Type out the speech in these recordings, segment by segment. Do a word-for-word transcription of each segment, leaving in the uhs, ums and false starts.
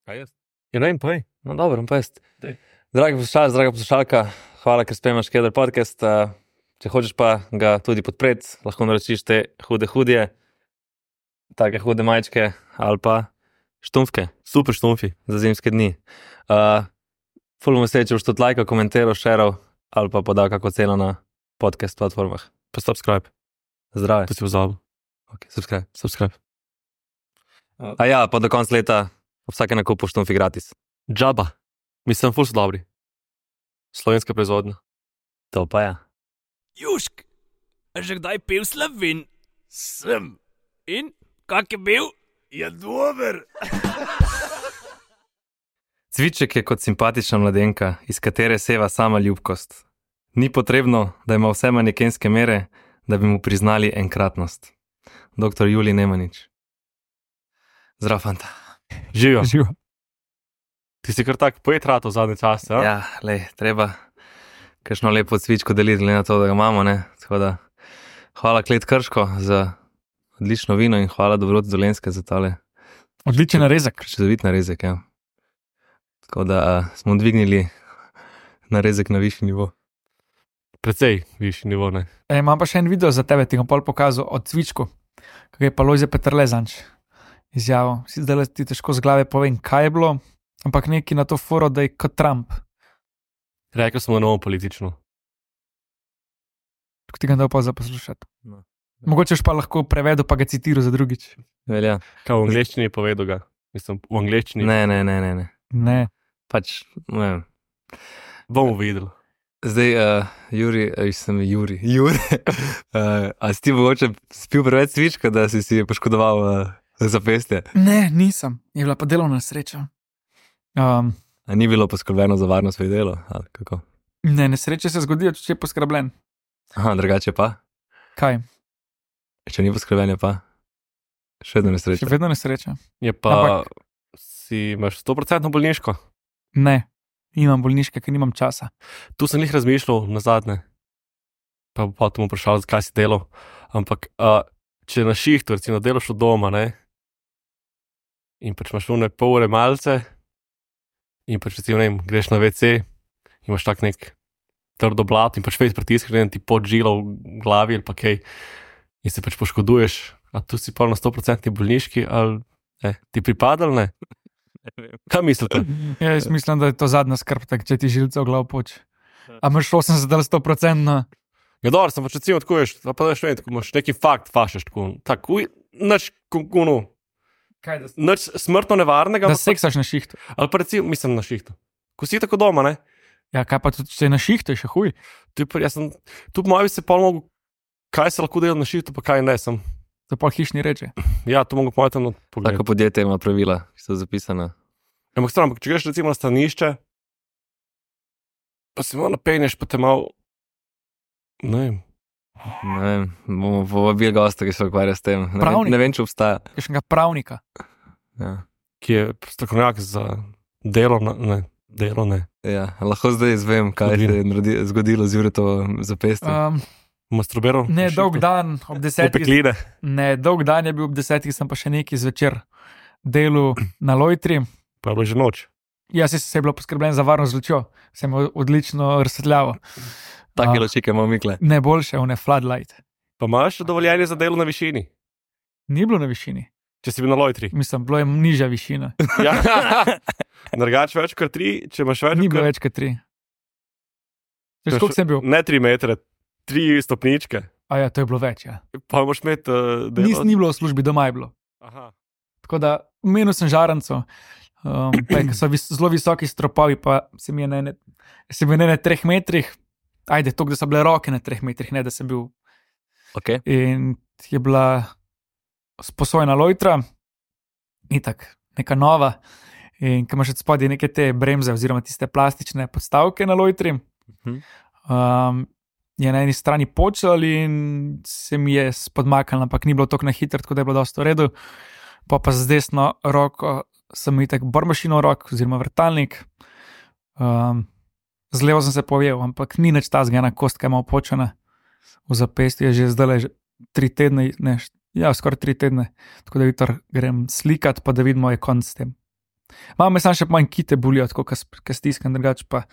Kaj jaz? Ja, ne vem, povej. No, dobro, pa jaz. Daj. Dragi poslušalec, draga poslušalka, hvala, ker spremljaš Keder podcast. Uh, če hočeš pa ga tudi podpreti, lahko naročiš te hude hudje, take hude majčke ali pa štumfke. Super štumfi. Za zimske dni. Uh, ful bom vesel, če boš tudi lajkal, komentiral, šeral ali pa podal kako ceno na podcast platformah. Pa subscribe. Zdrave. To si pozabil. Ok, subscribe. Subscribe. A ja, pa do konca leta vsake nakupu štumfi gratis. Džaba. Mislim, ful so dobri. Slovenska proizvodnja. To pa ja. Južk, a že kdaj pil Slovin? Sem. In, kak je bil? Je dober. Cviček je kot simpatična mladenka, iz katere seva sama ljubkost. Ni potrebno, da ima vse manekenske mere, da bi mu priznali enkratnost. Doktor Julij Nemanič. Zdrav, fanta. Živijo. Živo. Ti si kar tak poet rato v zadnje čase, ja? Ja, lej, treba kakšno lepo cvičko deliti, glede na to, da ga imamo, ne. Tako da, hvala Klet Krško za odlično vino in hvala Dobrot Dolenjske za tale Odličen narezek. čudovit narezek, ja. Tako da a, smo dvignili narezek na višji nivo. Precej višji nivo, ne? E, imam pa še en video za tebe, ti ga pol pokazal od cvičku, kako je pa Lojze Peterle zanč izjavil. Si zdaj ti težko z glave povem, kaj je bilo, ampak neki na to foro, da je kot Trump. Rekel smo novo politično. Tako ti ga dal pa za poslušati. No. Mogoče pa lahko prevedu, pa ga citiral za drugič. Velja. Kaj v angleščini je povedal ga? Mislim, v angleščini. Ne, ne, ne, ne, ne. Ne. Pač, ne vem. Bomo videli. Zdaj, uh, Juri, uh, sem Juri, Juri, uh, a si ti mogoče spil preveč cvička, da si si poškodoval uh, zapestje? Ne, nisem. Je bila pa delovna sreča. Um, A ni bilo poskrbljeno za varnost pri delu? Ali kako? ne, nesreče se zgodijo, če je poskrbljen. Aha, drugače pa? Kaj? Če ni poskrbljenje pa? Še vedno nesreča. Še vedno nesreča. Je pa, Ampak- si imaš sto procentno bolniško. Ne, imam bolniške, ker nimam časa. Tu sem jih razmišljal na zadnje. Pa bo potem vprašal, zakaj si delal. Ampak, uh, če na šihtu, recimo, delaš od doma, ne? In pač imaš one pol ure malce, in pač recimo, ne vem, greš na ve ce, imaš tak nek trdo blat in pač fejt pritiskaš, ne vem, ti pod žilo v glavi ali pa kaj, in se pač poškoduješ. A tu si pa na sto procentni bolniški, ali ne, ti pripada ali ne? Kaj mislite? Ja, jaz mislim, da je to zadnja skrb, tak, če ti žilce v glav poč. A imaš osemdeset ali sto procentno? Ja, dobro, sem pač recimo tako ješ, pa da še ne, tako imaš neki fakt fašeš, tako, tako, nač, kuno, Kaj, da, nač smrtno nevarnega, da ampak seksaš na šihtu. ali pa recimo, mislim na šihtu. Ko si tako doma, ne? Ja, kaj pa tudi, če je na šihtu, je še huj. Tu, pa, jaz sem, tu po mojem bi se pol mogo, kaj se lahko dela na šihtu, pa kaj ne, sem. To pol hišni reče. Ja, to mogo po mojem tam pogledati. Tako podjetje ima pravila, ki so zapisana. Ampak stran, ampak če greš recimo na stanišče, pa si malo napenješ, pa te malo, ne vem, Ne vem, bomo povabili gosta, ki se ukvarja s tem. Ne vem, Pravnik. ne vem, če obstaja. Kakšnega pravnika. Ja. ki je strokovnjak za delo, na- ne, delo ne, Ja, lahko zdaj izvem, kaj se je naredi- zgodilo z Juretovo zapestjem. Um, masturbiral. ne, na dolg šihtu. dan ob desetih. Opekline. Ne, dolg dan je bil ob desetih, sem pa še neki zvečer delal na lojtri. Pa je bilo že noč. Jaz se je bilo poskrbljen za varnost z lučjo, sem odlično razsvetljavo. Take a- ločike imamo mikle. Ne boljše, one floodlight. Pa imaš dovoljenje za delo na višini, Ni bilo na višini, če si bil na lojtri. mislim, bilo je nižja višina. Ja. Drugač več kot tri, če imaš več Ni bilo kot- več kot tri. Veš, koliko sem bil? Ne tri metre, tri stopničke. A ja, to je bilo več, ja. Pa moraš imeti uh, delo. Nis, ni bilo v službi, doma je bilo. Aha. Tako da menil sem žaranco, um, pa je, ko so vis, zelo visoki stropovi, pa se mi je na ene, sem bil na ene treh metrih, ajde, to, da so bile roke na treh metrih, ne da sem bil. Okay. In je bila sposojena lojtra, itak, neka nova, in ko imaš od spodaj neke te bremze, oziroma tiste plastične podstavke na lojtri, Mhm. um, je na eni strani počel in se mi je spodmaknil, ampak ni bilo tako na hitro, tako da je bilo dosto v redu. Pa pa z desno roko sem itak bormašino v rok, oziroma vrtalnik. Um, z levo sem se povijel, ampak ni nič tazga, ena kostka je malo počena v zapestju, je že zdaj že tri tedne, ne, ja, skoraj tri tedne, tako da jutro grem slikat, pa da vidimo, je konc s tem. Malo me sam še manj kite bolijo, tako kaj stiskam, drugače pa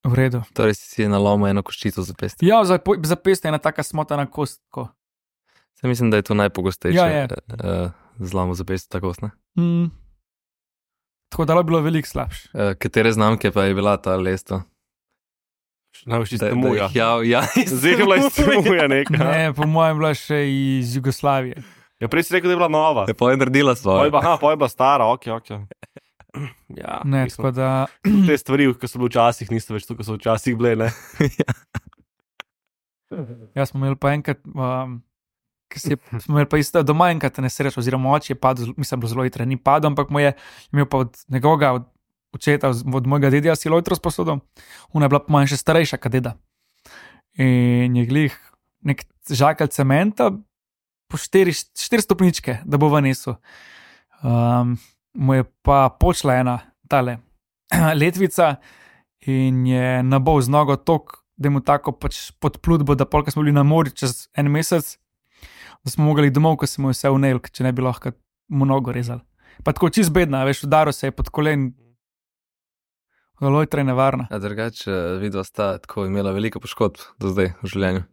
v redu. Torej si je nalomil eno koščico za pest. Ja, za, za pest je ena taka smotana kost. Tako. Se mislim, da je to najpogostejše Ja, je. uh, zlamo za pest, ta kost, ne? Mm. Tako da je bilo veliko slabše. Uh, katere znamke pa je bila ta lesto? Največ iz Da- da Temuja. jih Ja, ja, Zdaj je bila iz Temuja neka. Ne, po mojem bila še iz Jugoslavije. Ja, prej si rekel, da je bila nova. je pa je naredila Poj svoje. pa, aha, poj pa stara, ok, ok. Ja, Ne, mislim, tako da, te stvari, ki so bile včasih, niso več to, ki so včasih bile, ne? jaz smo imeli pa enkrat, um, ki si, smo imeli pa isto doma enkrat nesrečo, oziroma oče je padel, mislim, bilo zelo hitro, ni padel, ampak mu je imel pa od njegovega, od očeta, od, od mojega dedja si lojtro sposodil, ona je bila po mojem še starejša, kot deda. In je glih nek žakelj cementa, po štiri, štiri stopničke, da bo vnesel. Um, mu je pa počla ena tale letvica in je nabol z nogo tok, da je mu tako pač pod plutbo, da polka smo bili na morju čez en mesec, da smo mogli domov, ko se mu je vse vnel, če ne bi lahko mu nogo rezali. Pa tako čist bedna, veš, udaril se je pod kolen, lojtra je nevarna. A drugače, vidva sta tako imela veliko poškodb do zdaj v življenju.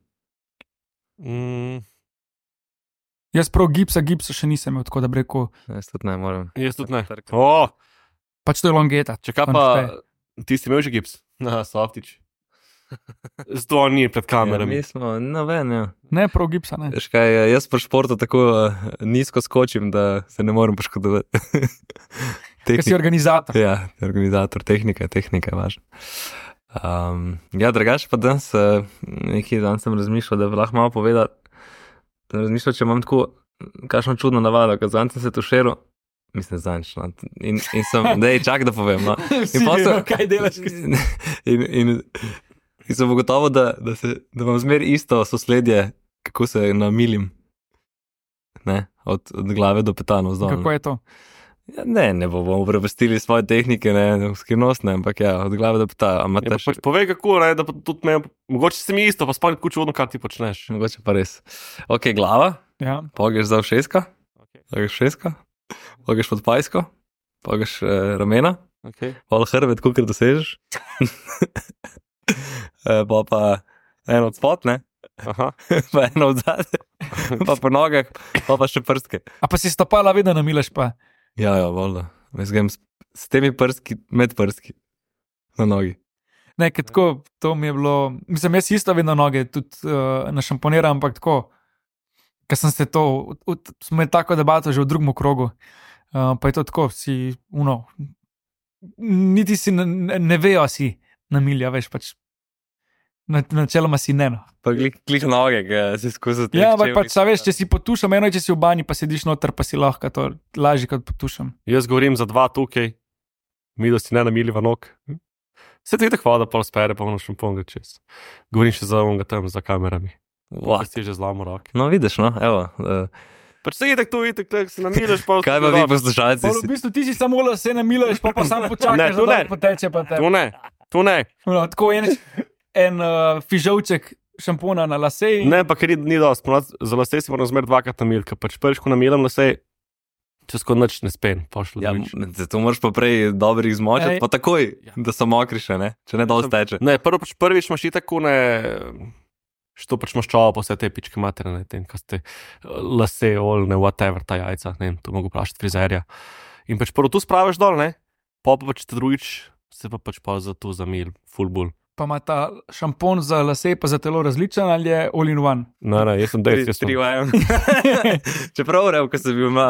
Mm, Jaz prav gipsa, gipsa še nisem imel, tako da bi rekel, Jaz tudi ne morem. jaz tudi ne. Trkam. O, pač to je longeta. če kaj To ne pa, šteje. ti si imel že gips? Na, softič. Zato on ni pred Ja, kamerami. mi smo, no ven, ja. Ne, prav gipsa, ne. Veš kaj, jaz pri športu tako uh, nizko skočim, da se ne morem poškodovati. Ker si organizator. Ja, organizator, tehnika, tehnika je važna. Um, ja, drugače pa danes, uh, nekaj dan sem razmišljal, da bi lahko malo povedal, sem razmišljal, če imam tako, kakšno čudno navado, ker zanj sem se tuširal, mislim, zanjč, no, in, in sem, dej, čak, da povem, no. Vsi pol sem- vemo, kaj delaš. In, in, in sem ugotovil, da, da, se, da imam zmer isto sosledje, kako se namilim, ne, od, od glave do petanov zdolj. Kako je to? Ja, ne, ne bomo prepustili svoje tehnike, ne, skrivnostne, ampak ja, od glave do peta. Ja, pa, pač povej kako, ne, da pa tudi me, mogoče se mi isto, pa spomni tako čudno, kaj ti počneš. Mogoče pa res. Ok, glava, Ja. pa greš za ušeska, Okay. pa greš šeska, pa greš pod pajsko, pa greš eh, ramena, Okay. pa hrbet, kolikor dosežeš. Eh, pa pa eno od spod, ne, Aha. pa eno od zadaj, pa po nogah, pa pa še prstke. A pa si stopala vedno namilaš pa. Ja, ja, voljno. Jaz grem s, s temi prstki, med prstki, na nogi. Ne, ker tako, to mi je bilo, mislim, jaz isto vedno noge tudi uh, našamponiram, ampak tako, ker sem se to, v- v- smo imeli tako debato že v drugem krogu, uh, pa je to tako, si, uno, niti si ne, ne, ne vejo si namilja, veš, pač, na, načeloma si ne, no. Pa glih, glih noge, ki se skozi te Ja, ampak pač, a veš, če si potušam, eno je, če si v banji, pa sediš noter, pa si lahko to lažje kot potušam. Jaz govorim za dva tukaj, mi da si ne namiliva nog. Se ti tako voda pol spere, pa ono šampon gre čez. Govorim še za onga tam, za kamerami. Wow. Pa si že zlamo roke. No, vidiš, no, evo. Uh, Pač se itek tu, itek, tak se namiliš, pa... kaj pa vi poslušalci? Pa v bistvu ti si samo lase namilaš, pa pa sam Ne, počakaš, to da ne. dol poteče pa te. Tu ne, tu ne. No, tako en, en uh, fižolček šampona na lase. in- Ne, pa ker ni, ni dosti. Ponavadi za lase si moram zmer dvakrat namiliti, ker pač prvič, ko namilam lase, čez ko nič ne spem, pošlo Ja, drugič. zato moraš pa prej dobro jih zmočiti, Ej. pa takoj, Ja. da so mokri še, ne? Če ne dol steče. Ne, prvo pač prvič imaš itak ne, što pač maščovo po vse te pičke materine, tem, kaj ste eh, lase, olne, whatever, ta jajca, ne vem, to mogo vprašati frizerja. In pač prvo tu spraviš dol, ne, pa pa pač te drugič se pa pač pa za to zamil, full bull. Pa ima ta šampon za lase, pa za telo različen ali je all in one. Ne, ne, jaz sem dejst, jaz sem. Tri v enem. Čeprav, rev, ko sem bil, ma,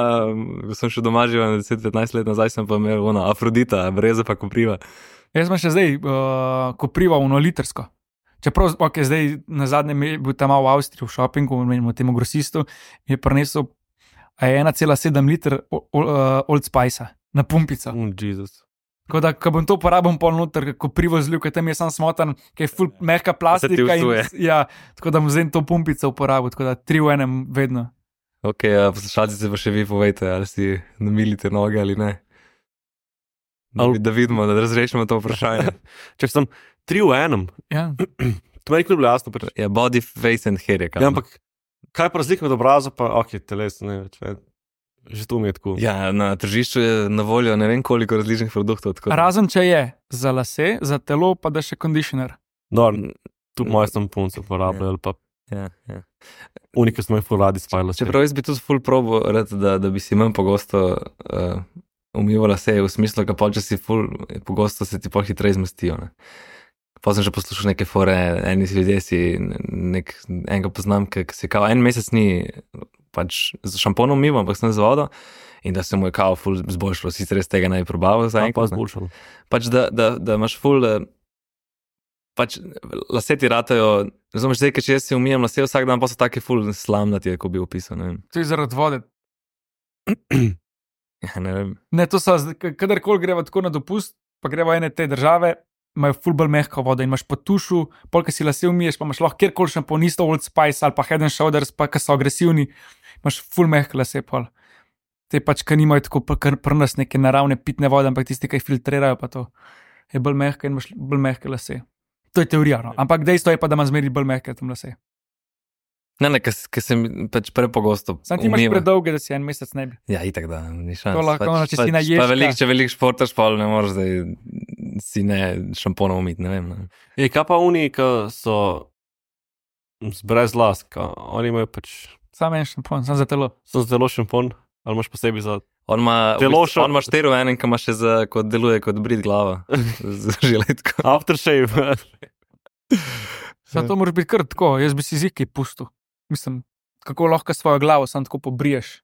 ko sem še doma živel deset petnajst let nazaj, sem pa imel ona Afrodita, breze pa kopriva. Jaz sem še zdaj uh, koprival uno litrsko. Čeprav, ok, zdaj na zadnjem je bil tam v Avstriji v šopingu, menimo temu grosistu, mi je prinesel a je ena cela sedem liter o- o- uh, Old Spice na pumpico. Mm, Jezus. Tako da, ko bom to uporabil pol noter, ko privo zlil, ker tam je sam smotan, ker je full mehka Se ti plastika. In, vsuje. ja, tako da bom zdaj to pumpico uporabil, tako da tri v enem vedno. Ok, a poslušalci se pa še vi povejte, ali si namilite noge ali ne. Da, Al- da vidimo, da razrešimo to vprašanje. Če sem tri v enem, Ja. to meni nikoli bilo jasno. Pač. Ja, body, face and hair je kaj. Ja, ampak kaj pa razlika med obrazom, pa ok, teles, ne več. Ne. Že to mi je tako. Ja, na tržišču je na voljo ne vem koliko različnih produktov. Tako... Razen če je za lase, za telo, pa da še kondišner. No, tudi moje sem punce uporabljal, pa Ja, ja. unike smo jih radi spajali. Čeprav jaz bi tudi ful probo, da, da bi si manj pogosto uh, umivala se, v smislu, da pa če si ful pogosto se ti pol hitreje zmestijo. Ne? Pa sem že poslušal neke fore, eni ljudje si nek, enega poznam, ki si kao en mesec ni pač z šamponom umival, ampak sem z vodo in da se mu je kao ful zboljšalo, sicer res tega naj probavil za enkrat. Pa zboljšalo. Pač da, da, da imaš ful, pač lase ti ratajo, razumeš, zdaj, ker če jaz si umijem lase vsak dan, pa so taki ful slamnati, ko bi opisal, ne vem. To je zaradi vode. Ja, ne vem. Ne, to so, kadarkoli greva tako na dopust, pa greva ene te države, imajo ful bolj mehko vodo in imaš po tušu, polk si lase umiješ, pa imaš lahko kjerkoli šampon, isto Old Spice ali pa Head and Shoulders, pa ki so agresivni, imaš ful mehko lase pol. Te pač, ki nimajo tako kar pri nas neke naravne pitne vode, ampak tisti, ki jih filtrirajo, pa to je bolj mehko in imaš bolj mehke lase. To je teorija, no. Ampak dejstvo je pa, da ima zmeri bolj mehke tam lase. Ne, ne, ker sem pač prepogosto Sam ti imaš predolge, da si en mesec ne bi. Ja, itak da, ni šans. To lahko, pač, če si na ježka. Pa velik, če velik športaš, pa ne moreš, da si ne šamponom umiti, ne vem. Ne. Je, kaj pa oni, ki so brez las, oni imajo pač... Sam en šampon, sam za telo. Sam za telo šampon, ali imaš posebej za... On ima, telo v bistvu, on ima štero v enem, ki ima še za, kot deluje kot brit glava. Z žiletko. Aftershave. Zato to moraš biti kar tako, jaz bi si zikaj pustil. Mislim, kako lahko svojo glavo sam tako pobriješ,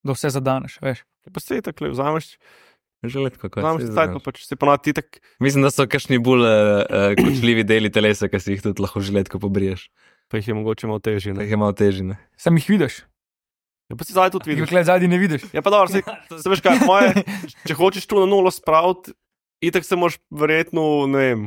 da vse zadaneš, veš. Pa se je tako, vzameš... Žiletko, kaj vzameš se tajt, pa pač se ponavadi ti tak... Mislim, da so kakšni bolj uh, kočljivi deli telesa, ki si jih tudi lahko žiletko pobriješ. Pa jih je mogoče malo težje, Pa ne? jih je malo težje, ne. Sam jih vidiš. Ja, pa si zadaj tudi vidiš. Dokler zadnji ne vidiš. Ja, pa dobro, se, se veš kaj, moje, če hočeš tu na nulo spraviti, itak se moraš verjetno, ne vem,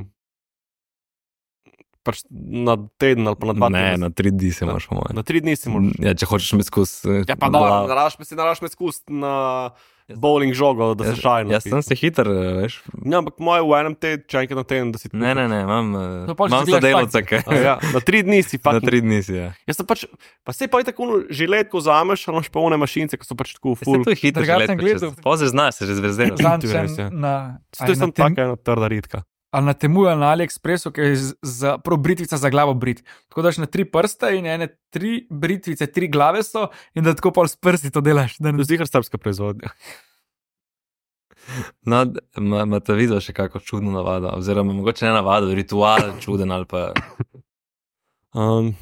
pač na teden ali pa na dva Ne, tedna. na tri dni se moraš, po mojem. Na tri dni si moraš. Ja, če hočeš me skus. Ja, pa dobro, naraš me si, naraš me skus na bowling žogo, da se šajno. Jaz sem se hiter, veš. Ja, ampak moje v enem teden, če enkrat na teden, da si... Ne, ne, ne, imam, To uh, pol, če imam si gledaš sodelavca, ki... A ja, na tri dni si Na fucking... tri dni si, ja. Jaz sem pač, pa se pa je tako žiletko vzameš, ali imaš pa one mašince, ki so pač tako Se full. to je hiter Drugače sem žiletka, gledal. če pozri znaš, se že zvezdeno. Zanj to je res, ja. sem na... To je sem taka ena trda ritka. Ali na temu ali na AliExpressu, ki je z- za prav britvica za glavo brit. Tako daš na tri prste in ene tri britvice, tri glave so in da tako pol s prsti to delaš. Da To ne... je zihar srpska proizvodnja. No, ima ta video še kako čudno navado, oziroma mogoče ne navado, ritual čuden ali pa... Um,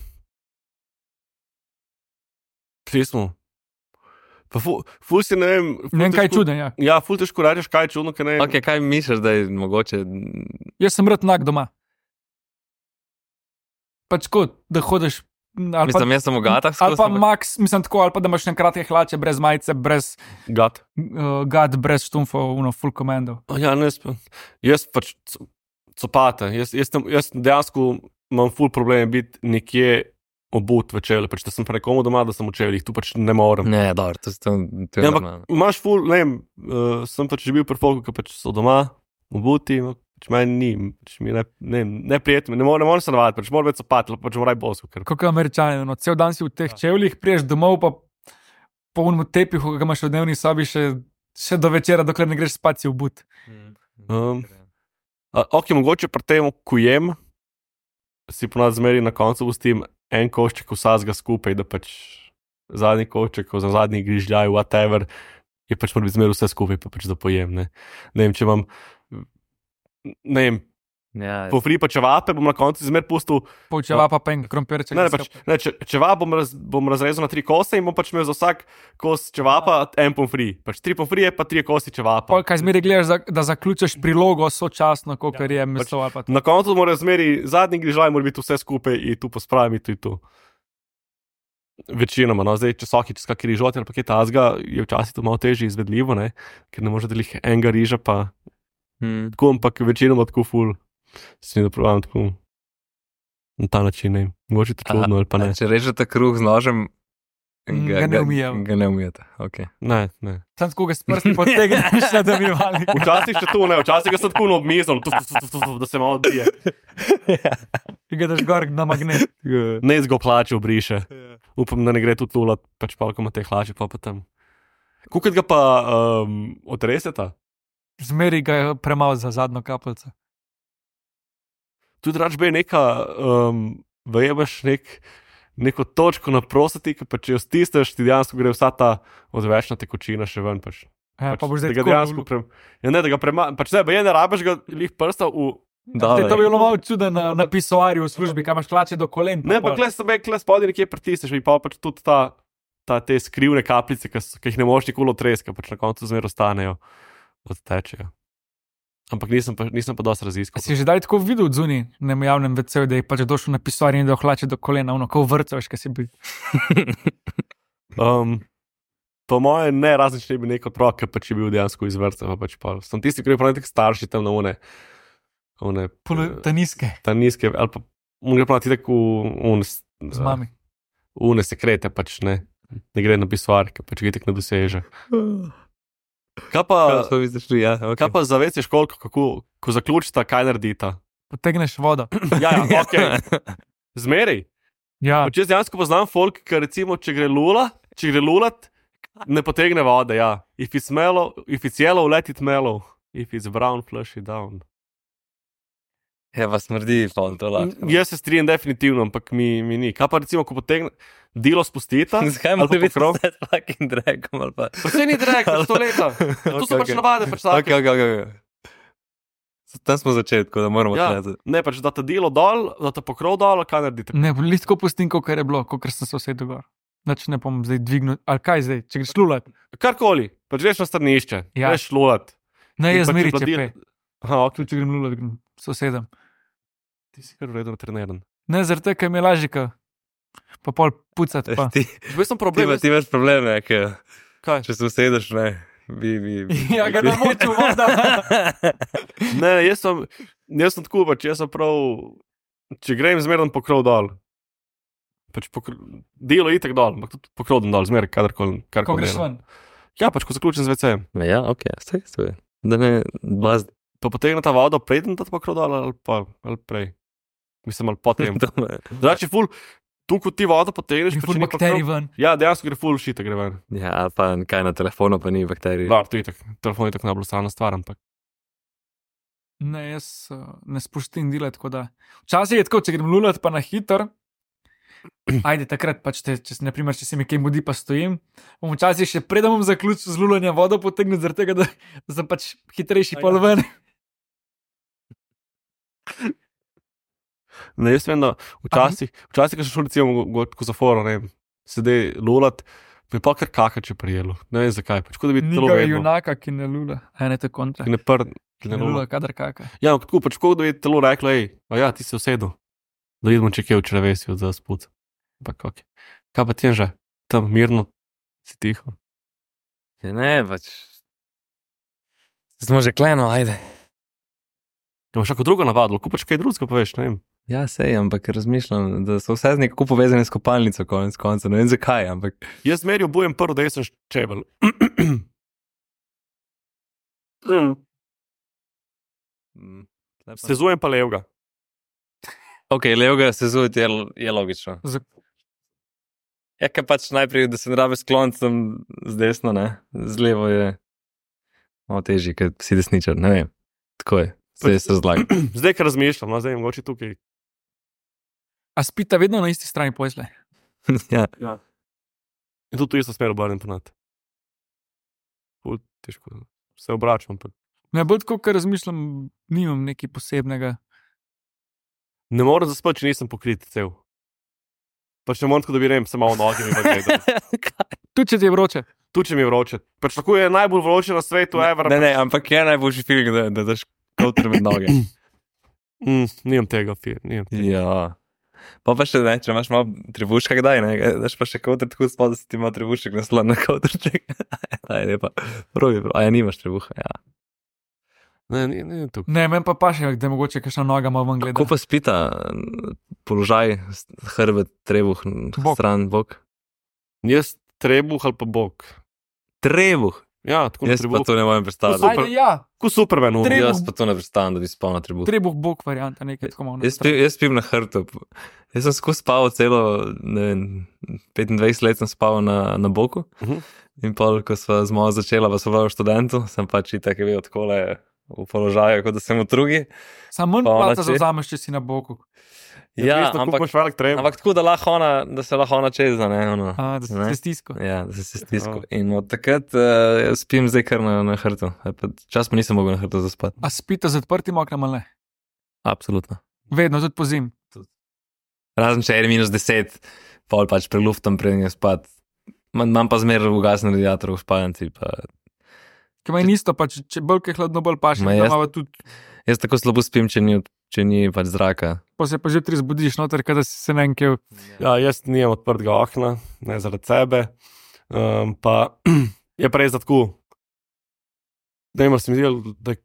Kje smo? Pa ful, ful si ne vem... ful Ne vem, kaj je težko- čuden, ja. Ja, ful težko rečeš, kaj je čudno, kaj ne. Ok, kaj misliš, da je mogoče... Jaz sem rad nag doma. Pač kot, da hodiš... Ali pa, Mislim, jaz sem v gatah ali skozi, pa ampak- max, mislim tako, ali pa da imaš na kratke hlače, brez majice, brez Gat. uh, gad, brez štumfov, uno, full komando. Ja, ne, sp- jaz pač c- copate. Jaz, jaz, tem- jaz dejansko imam ful problem biti nekje obut v čevlje, pač da sem pa nekomu doma, da sem v čevljih, tu pač ne morem. Ne, dobro, to, to, to je Ja, ampak normalno. imaš ful, ne vem, uh, sem pač že bil pri folku, ki pač so doma, obuti, pač meni ni, pač mi je ne, ne, neprijetno, ne morem, ne morem se navaditi, pač moram biti copati, pač moram bosko, ker Kako američani, no, cel dan si v teh čevljih, priješ domov, pa po unem tepihu, ki ga imaš v dnevni sobi, še, še do večera, dokler ne greš spat si v but. Um, A, ok, mogoče pri tem, ko jem, si ponad zmeri na koncu pustim en košček vsega skupaj, da pač zadnji košček, za zadnji grižljaj, whatever, je pač mora biti zmeri vse skupaj, pa pač da pojem, ne. Ne vem, če imam, ne vem, Ja, po fri pa čevape, bom na koncu zmer pustil, Poučeva pa pen, krompirček. ne, ne, pač, ne, če, čevap bom, raz, bom razrezal na tri kose in bom pač imel za vsak kos čevapa en pomfri. Pač tri pomfrije, pa tri kosi čevapa. Pol, kaj zmeri gledaš, za, da zaključiš prilogo sočasno, kot ja, je meso ali pa to. Na koncu mora zmeri, zadnji grižljaj mora biti vse skupaj in tu pospravim in tu in tu. Večinoma, no, zdaj, če so ki čez kakšen rižot ali pa kaj tazga, je včasih to malo težje izvedljivo, ne, ker ne može delih enega riža, pa hm. tako, ampak večinoma tako ful, se mi dopravljam tako na ta način, ne, mogoče to čudno ali pa ne. A, če režete kruh z nožem, Mm, ga ne umijemo. Ga ne umijete, ok. Ne, ne. Sam tako ga s prsti potegneš, da bi mali. Včasih še to, ne, včasih ga sem tako na obmizom, da se malo odbije. Ki ga daš gor na magnet. Ne zgo hlače obriše. Upam, da ne gre tudi tulat, pač pa, ko ima te hlače, pa pa tam. Kukaj ga pa um, otreseta? Zmeri ga je premalo za zadnjo kapljico. Tudi rač bi neka, um, vejemaš nek, neko točko na prostati, pa če jo stisneš, ti dejansko gre vsa ta odvečna tekočina še ven. Pač. Ja, Pač, pa boš da zdaj ga tako dejansko pre... ja, ne, da ga prema... Pač ne, je ne rabiš ga lih prsta v... Da, Te, to bi bilo malo čudno na, na pisoarju v službi, kam imaš hlače do kolen. Ne, pa kle sebe, kle spodaj nekje pritisneš in pa pač tudi ta, ta te skrivne kapljice, ki jih ne moš nikoli otreska, pač na koncu zmer ostanejo, odtečejo. Ampak nisem pa, nisem pa dosti raziskal. Si že daj tako videl od zunaj, na javnem veceju, da je pač došel na pisoarju in da hlače do kolena, ono, kot vrca, veš, kaj si bil. Um, po moje ne, razen če ne bi nek otrok, ki pač je bil dejansko iz vrca, pa pač pa. Sem tisti, ki je pa nek starši tam na une. One, Ta nizke, ta nizke, ali pa on gre pa ti tako v une, z mami. une sekrete, pač ne, ne gre na pisoar, ki pač ga tako ne doseže. Kaj pa, to misliš tu, ja. Okay. kaj pa zavestiš koliko, kako, ko zaključita, kaj naredita? Potegneš vodo. Ja, ja, ok. Zmeri. Ja, Pač jaz dejansko poznam folk, ki recimo, če gre lula, če gre lulat, ne potegne vode, ja. If it's mellow, if it's yellow, let it mellow. If it's brown, flush it down. Ja, pa smrdi, pa to lahko. Jaz se strinjam definitivno, ampak mi, mi ni. Kaj pa recimo, ko potegne, dilo spustita, Zakaj ali mora pa biti pokrov? vse fucking dragom ali pa... Pa se ni drag, sto leta. To so pač navade, pač Ok, take. ok, ok. ok. Tam smo začeli, tako da moramo Ja, tleti. ne, pač da ta dilo dol, da ta pokrov dol, kaj naredite? ne, listko pustim, kot je bilo, kot sem se vse dogor. Znači ne bom zdaj dvignil, ali kaj zdaj, če greš lulat. Karkoli, pač greš na stranišče, Ja. greš lulat. Ne, In jaz pač zmeri je bila če dil- pe. Aha, ok, Tudi če grem lulat, grem sosedem. ti si kar vredno treniran. Ne, zaradi tega, ker mi je lažje, ka pa pol pucati pa. Ti, Zdaj sem ti, problem, ima- ti imaš probleme, ker kaj? če se usedeš, ne, bi... bi, bi Ja, ga ne moču voda. Ne, jaz sem, jaz sem tako, pač jaz sem prav, če grem zmerno pokrov dol. Pač pokr... Delo je itak dol, ampak tudi pokrov dol, zmer, kadarkoli. Ko karkoli greš delam. ven. Ja, pač ko zaključim z vecejem. Ja, ok, staj, staj. Da ne blazdi. Pa potegne ta vodo, preden ta pokrov dol ali pa ali prej. Mislim, ali potem. Znači, ful, tu ko ti vodo potegneš, Gre pa ful če ni bakterij pokrov. ven. Ja, dejansko gre ful šita, gre ven. Ja, ali pa kaj na telefonu, pa ni bakterij. Da, to je itak, telefon je tako najbolj stvarna stvar, ampak. Ne, jaz uh, ne spustim dela, tako da. Včasih je tako, če grem lulat pa na hiter. Ajde, takrat pač, te, če, naprimer, če se mi kaj mudi, pa stojim. Bom včasih še predem bom zaključil z lulanjem vodo potegnil, zaradi tega, da, da sem pač hitrejši pol ven. Ne, jaz vem, da včasih, včasih, ko sem šel recimo ko zaforo, ne vem, sedaj lulat, me pa kar kakače prijelo. Ne vem zakaj, pač kot da bi telo Nikaj vedno. junaka, ki ne lula. A ne, to je kontra. Ki ne pr, ki Ne ne lula, lula. kadar kaka. Ja, ampak tako, pač kot da bi telo reklo, hej, a ja, ti si usedel. Da vidimo, če kje v črevesi od za sput. Ampak ok. Kaj pa ti je že? Tam mirno si tiho. Ja, ne, pač... Smo že kleno, ajde. Da imaš kako drugo navadilo, kupaš kaj drugega, pa veš, ne vem. Ja, sej, ampak razmišljam, da so vse z nekako povezane s kopalnico, konec konca. Ne vem zakaj, ampak... Jaz zmeri obujem prvo, da jaz sem čebel. Mm, tule pa- Sezujem pa levga. Ok, levega sezujeti je, je logično. Z- Ja, ker pač najprej, da se ne rabe s kloncem z desno, ne, z levo je malo težje, ker si desničar, ne vem. Tako je, se se razlaga. Zdaj, ker razmišljam, no, zdaj mogoče tukaj. A spita vedno na isti strani posle. Ja, In tudi tu isto smer obrnem ponad. Ful, težko. Se obračam. Pa. Ne, bolj tako, ker razmišljam, nimam nekaj posebnega. Ne morem zaspati, če nisem pokrit cel. Pač ne morem tako, da bi rem, samo v nogi mi gledal. Tudi če ti je vroče. Tu če mi je vroče. Pač tako je najbolj vroče na svetu, ever. ne, ne, ampak je najboljši feeling, da, da daš kotr med noge. Mm, nimam tega, fir, nimam tega. Ja. Pa pa še ne, če imaš malo trebuška, kdaj, ne, daš pa še kotr tako spod, da si ti ima trebušek naslon na kotrček. Aj, ne pa, probi, probi, a ja, nimaš trebuha, ja. Ne, ne, ne, tukaj. Ne, meni pa paše, da je mogoče kakšna noga malo ven gleda. Kako pa spita, položaj, hrbet, trebuh, Bok. stran, bok? Jaz trebuh ali pa bok. Trebuh! Ja, tako na Jaz pa trebuh. to ne morem predstavljati. super. Ajde, ja, Ko Superman umre. Trebuh. Jaz pa to ne predstavljam, da bi spal na trebuh. trebuh bok varianta, nekaj tako malo. Jaz, spim, jaz spim na hrbtu. Jaz sem skozi spal celo, ne vem, petindvajset let sem spal na, na boku. Mhm. In pol, ko sva z mojo začela, pa sva v študentu, sem pač itak je bil takole v položaju, kot da sem v drugi. Samo manj Pa ona placa če- zavzameš, če si na boku. Ja, Ampak ampak, imaš velik trem. ampak tako, da, lahko ona, da se lahko ona čeza, ne, ono. A, da si Ne. se stisko. Ja, da se se stisko. Ja. In od takrat uh, spim zdaj kar na, na hrtu. E, pa Čas pa nisem mogel na hrtu zaspati. A spite z odprtim oknom ali ne? Absolutno. Vedno, tudi po zim. Razen če je minus deset, pol pač preluftam, preden je spat. Imam imam pa zmeraj ugasen radiator v spalnici. Pa... Ker meni isto, pa če, če bolj je hladno, bolj paše. Ma Da jaz- imava tudi, Jaz tako slabo spim, če ni, če ni pač zraka. pa se pa že tri zbudiš noter, kada si se nekaj. Ja, jaz nimam odprtega okna, ne zaradi sebe. Um, pa je pa res da tako. Da imaš mi zdi, da je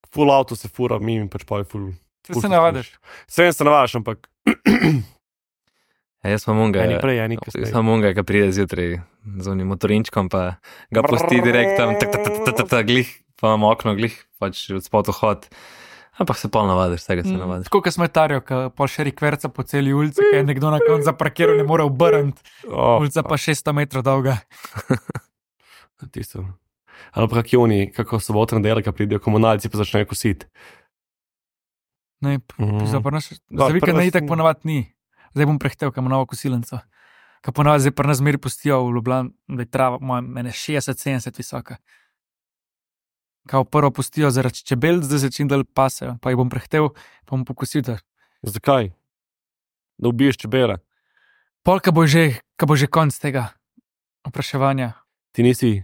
full avto se fura, mimo pač pa je full. Se navadiš. Vse se navadiš, ampak Ja, jaz sem unga. eni prej, eni kasneje. Sam unga, ki pride zjutraj z unim motorinčkom, pa ga pusti direkt tam, tak, tak, tak, tak, tak, tak, glih, pa imam okno, glih, pač od spod vhod. Ampak se pol navadiš, vsega se navadiš. Tako kot smetarijo, ki pol še rikverca po celi ulici, ki je nekdo na koncu zaparkiral, ne more obrniti. Oh, Ulica pa šeststo metrov dolga. tisto. Ali pa kaki oni, kako sobotne dele, ki pridejo komunalci, pa začnejo kositi. Ne, Mhm. za prnaš, Da, za vikend pri nas ne itak ni. ponavadi ni. Zdaj bom prehtel, kam novo kosilnico. Kaj ponavadi zdaj pri nas zmeri pustijo v Ljubljani, da je trava, moja, mene šestdeset sedemdeset visoka. Kao prvo pustijo zaradi čebel, zdaj se čim dalj pasejo, pa jih bom prehtel, pa bom pokosil. da- Zakaj? Da ubiješ čebele. Pol, ka bo že, ka bo že konc tega opraševanja, Ti nisi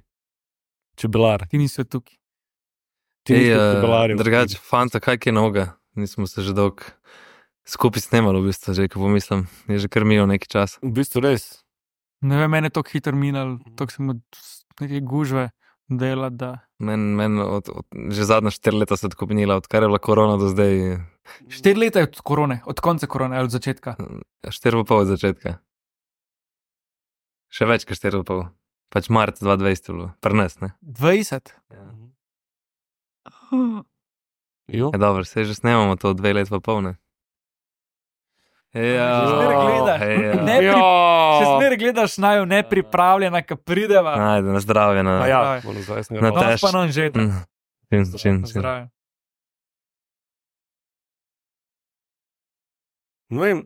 čebelar. ti nisi tukaj. Ti nisi Ej, od eh, čebelarjev. drugače, fanta, kaj je noga? Nismo se že dolgo skupaj snemali, v bistvu, že ko pomislim. Je že kar minilo nekaj časa. V bistvu res. Ne vem, meni je tako hitro minil, tako sem od neke gužve dela, da... Men, men od, od, že zadnja štiri leta se je tako minila, odkar je bila korona do zdaj. Štiri leta je od korone, od konca korone ali od začetka. Štiri pa pol od začetka. Še več kot štiri pa pol. Pač marca dva tisoč dvajset je bilo, prnes, ne? dvajset. Jo. Je dobro, se že snemamo to dve let pa pol, ne? Ja, Že zmeraj gledaš. ja. Ne pri- Še zmeraj gledaš naju nepripravljena, ki prideva. Ajde, na zdravje, na... A ja, Zdravje. moram zdaj sem Na ga No, tež- pa non že. Mm. Čin, čin, čin. Zdravje. Ne vem,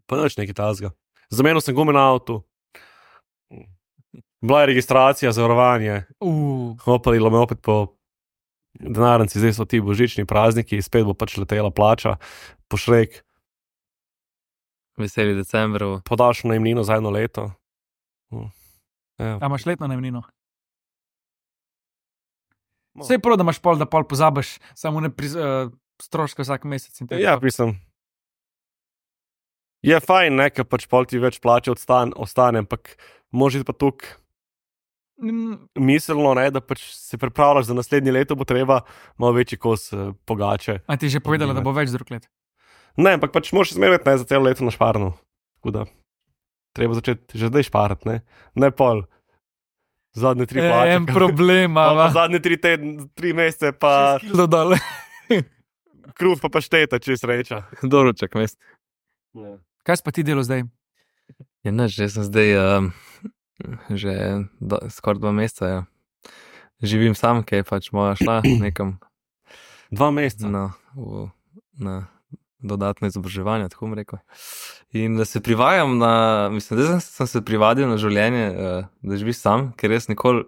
pa nič nekaj tazga. Zamenil sem gume na avtu. Bila je registracija, zavarovanje, Uh, hopalilo me opet po denarnici, zdaj so ti božični prazniki, spet bo pač letela plača, pošrek, Veseli decembrov. podaljšano najemnino za eno leto. Ja. a imaš letno najemnino? Vse je prav, da imaš pol, da pol pozabiš, samo ne pri, uh, stroške vsak mesec. in tako. Ja, mislim. Je fajn, ne, ker pač pol ti več plače odstan, ostane, ampak može pa tukaj Mm, miselno, ne, da pač se pripravljaš za naslednje leto, bo treba malo večji kos eh, pogače. A ti je že povedala, da bo več drug let? Ne, ampak pač moraš zmerjati ne za celo leto na šparno. Tako da treba začeti že zdaj šparati, ne, ne pol. Zadnje tri plače. En problem, pa, pa a zadnje tri, tedn, tri mesece, pa kilo dol. kruh pa pašteta, če sreča. Doruček, mest. Kaj si pa ti delo zdaj? Ja, ne, že sem zdaj um, že do, skoraj dva meseca. Ja. Živim sam, ki je pač moja šla nekam Dva meseca. na, v, na dodatno izobraževanje, tako bom rekel. In da se privajam na, mislim, da sem, sem se privadil na življenje, uh, da živiš sam, ker res nikoli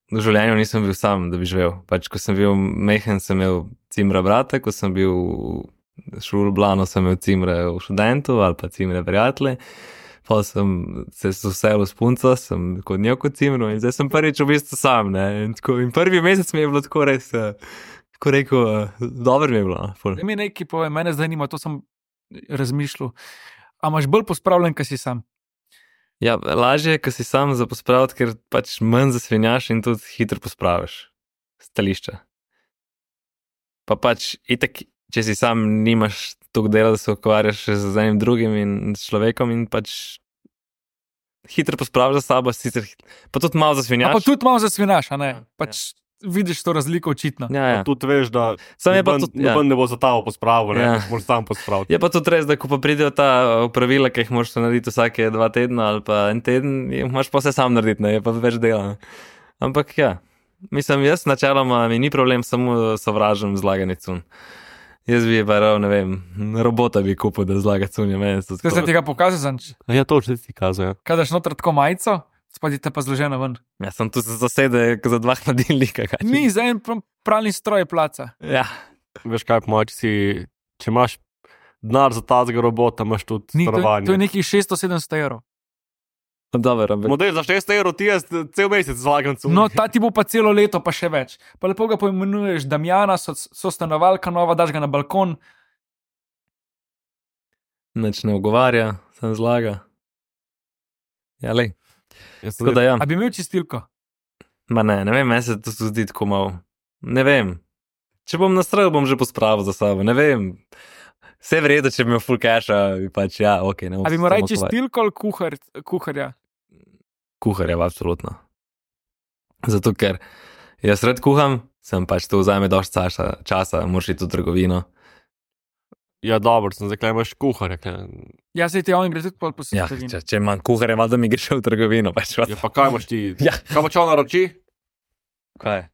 v življenju nisem bil sam, da bi živel. Pač, ko sem bil mehen, sem imel cimra brata, ko sem bil šel v Ljubljano, sem imel cimre v študentu ali pa cimre prijatelje. Pa sem se vsel s punco, sem kot njo kot cimro in zdaj sem prvič v bistvu sam. Ne? In, tako, in prvi mesec mi je bilo tako res, uh, tako rekel, uh, dobro mi je bilo. No, ful. Da mi nekaj pove, mene zanima, to sem razmišljal. A imaš bolj pospravljen, kaj si sam? Ja, lažje je, ko si sam za pospraviti, ker pač manj zasvinjaš in tudi hitro pospraviš stališča. Pa pač itak, če si sam nimaš toliko dela, da se ukvarjaš še z enim drugim in s človekom in pač hitro pospraviš za sabo, sicer hit- pa tudi malo A zasvinjaš. pa tudi malo zasvinaš, a ne? Ja, Pač vidiš to razliko očitno. Ja, ja. Tudi veš, da Sam je pa noben, tudi- ja. noben ne bo za ta pospravil, ne, Ja. ja. moraš sam pospraviti. Je pa tudi res, da ko pa pridejo ta opravila, ki jih moraš narediti vsake dva tedna ali pa en teden, jih moraš pa vse sam narediti, ne, je pa več dela. Ne. Ampak ja, mislim, jaz načeloma mi ni problem, samo sovražim zlaganje cun. Jaz bi pa rav, ne vem, robota bi kupil, da zlaga cunje, meni so Kaj se tega pokaže, Zanč? Ja, to že ti kazuje. Ja. Kaj daš noter tako majico, spadi te pa zložena ven. Ja, sem tu se zasede za dva hladilnika. Kaj. Ni, za en pr- pralni stroj placa. Ja, Veš kaj, po mojem, če, si, če imaš denar za tazga robota, imaš tudi Ni, to, je- starovanje. to je nekih šeststo sedemsto evrov. dobro, ampak Model za šeststo evrov ti jaz cel mesec zlagam cunje. No, ta ti bo pa celo leto, pa še več. Pa lepo ga poimenuješ Damjana, so, so stanovalka nova, daš ga na balkon. nič ne ogovarja, sem zlaga. Ja, lej. Jaz sem Tako da ja, A bi imel čistilko? ma ne, ne vem, meni se to zdi tako malo. Ne vem. Če bom nastrojil, bom že pospravil za sabo, ne vem. Vse vredo, če bi imel full casha, bi pač ja, ok. Ne bom A bi se moral samo ukvarjal. čistilko ali kuhar, kuharja? Kuharja, absolutno. Zato, ker jaz rad kuham, sem pač to vzame dosti časa, časa moraš iti v trgovino. Ja, dobro, sem zdaj, imaš kuharja. Kaj. Ja, se ti on gre tudi po Ja, posebej. če, če imam kuharja, valjda mi greš v trgovino. Pač, Ja, pa kaj imaš ti? Ja. Kaj pa če on naroči? kaj?